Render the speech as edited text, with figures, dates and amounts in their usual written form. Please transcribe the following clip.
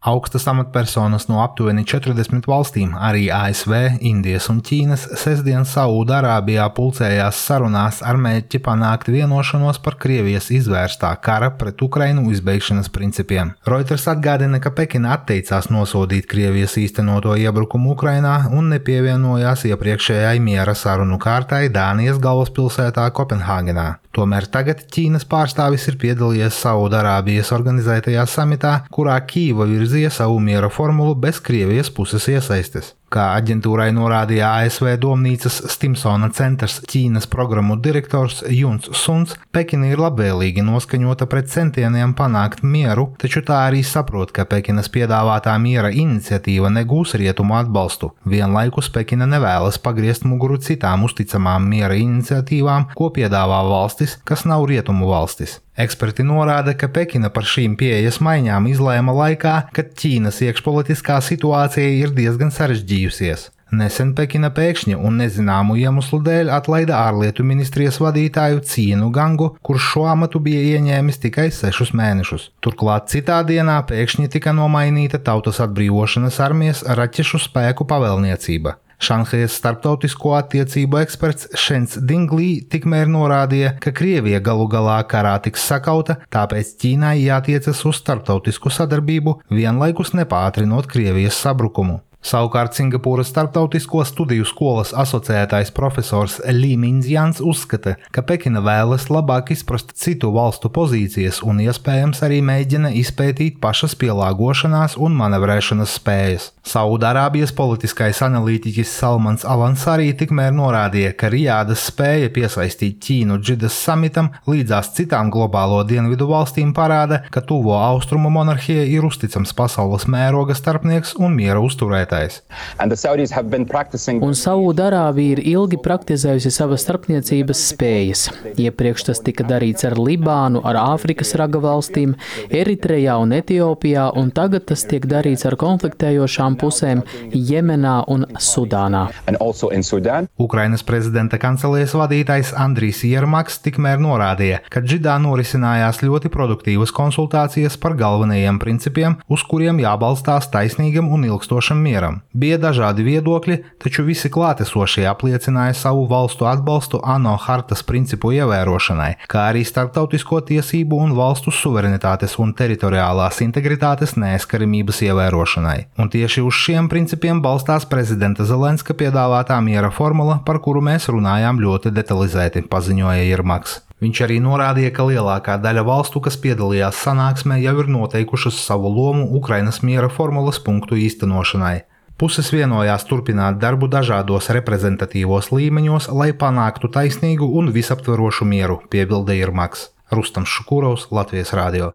Augstas amatpersonas no aptuveni 40 valstīm, arī ASV, Indijas un Ķīnas, sestdien Saūda-Arābijā pulcējās sarunās ar mērķi panākt vienošanos par Krievijas izvērstā kara pret Ukrainu izbeigšanas principiem. Reuters atgādina, ka Pekina atteicās nosodīt Krievijas īstenoto iebrukumu Ukrainā un nepievienojās iepriekšējai miera sarunu kārtai Dānijas galvaspilsētā Kopenhāgenā. Tomēr tagad Ķīnas pārstāvis ir piedalījies Saūda-Arābijas organizētajā samitā, kurā Kīva virzīja savu miera formulu bez Krievijas puses iesaistes. Kā aģentūrai norādīja ASV domnīcas Stimsona centrs Ķīnas programmu direktors Juns Suns, Pekina ir labvēlīgi noskaņota pret centieniem panākt mieru, taču tā arī saprot, ka Pekinas piedāvātā miera iniciatīva negūs rietumu atbalstu. Vienlaikus Pekina nevēlas pagriezt muguru citām uzticamām miera iniciatīvām, ko piedāvā valstis, kas nav rietumu valstis. Eksperti norāda, ka Pekina par šīm pieejas maiņām izlēma laikā, kad Ķīnas iekšpolitiskā situācija ir diezgan sarežģījusies. Nesen Pekina pēkšņi un nezināmu iemeslu dēļ atlaida ārlietu ministrijas vadītāju Cienu Gangu, kurš šo amatu bija ieņēmis tikai 6 mēnešus. Turklāt citā dienā pēkšņi tika nomainīta Tautas atbrīvošanas armijas raķešu spēku pavēlniecība. Šanhajas starptautisko attiecību eksperts Šens Dinglī tikmēr norādīja, ka Krievija galu galā karā tiks sakauta, tāpēc Ķīnai jātiecas uz starptautisku sadarbību, vienlaikus nepātrinot Krievijas sabrukumu. Savukārt Singapūras starptautisko studiju skolas asociētais profesors Lī Mindzjans uzskata, ka Pekina vēlas labāk izprast citu valstu pozīcijas un iespējams arī mēģina izpētīt pašas pielāgošanās un manevrēšanas spējas. Saūda-Arābijas politiskais analītiķis Salmans Alansarī tikmēr norādīja, ka Rijādas spēja piesaistīt Ķīnu Džidas samitam līdzās citām globālo dienvidu valstīm parāda, ka tuvo austrumu monarhija ir uzticams pasaules mēroga starpnieks un miera uzturētājs. Un Saūda-Arābija ir ilgi praktizējusi savas starpniecības spējas. Iepriekš tas tika darīts ar Libānu, ar Āfrikas raga valstīm, Eritrejā un Etiopijā, un tagad tas tiek darīts ar konfliktējošām pusēm Jemenā un Sudānā. Ukrainas prezidenta kancelējas vadītājs Andrijs Jermaks tikmēr norādīja, ka Džidā norisinājās ļoti produktīvas konsultācijas par galvenajiem principiem, uz kuriem jābalstās taisnīgam un ilgstošam mieram. Bija dažādi viedokļi, taču visi klātesošie apliecināja savu valstu atbalstu ANO hartas principu ievērošanai, kā arī starptautisko tiesību un valstu suverenitātes un teritoriālās integritātes neaizskaramības ievērošanai. Un tieši uz šiem principiem balstās prezidenta Zelenska piedāvātā miera formula, par kuru mēs runājām ļoti detalizēti, paziņoja Jermaks. Viņš arī norādīja, ka lielākā daļa valstu, kas piedalījās sanāksmē, jau ir noteikušas savu lomu Ukrainas miera formulas punktu īstenošanai. Puses vienojās turpināt darbu dažādos reprezentatīvos līmeņos, lai panāktu taisnīgu un visaptverošu mieru, piebilda Jermaks. Rustams Šukurovs, Latvijas radio.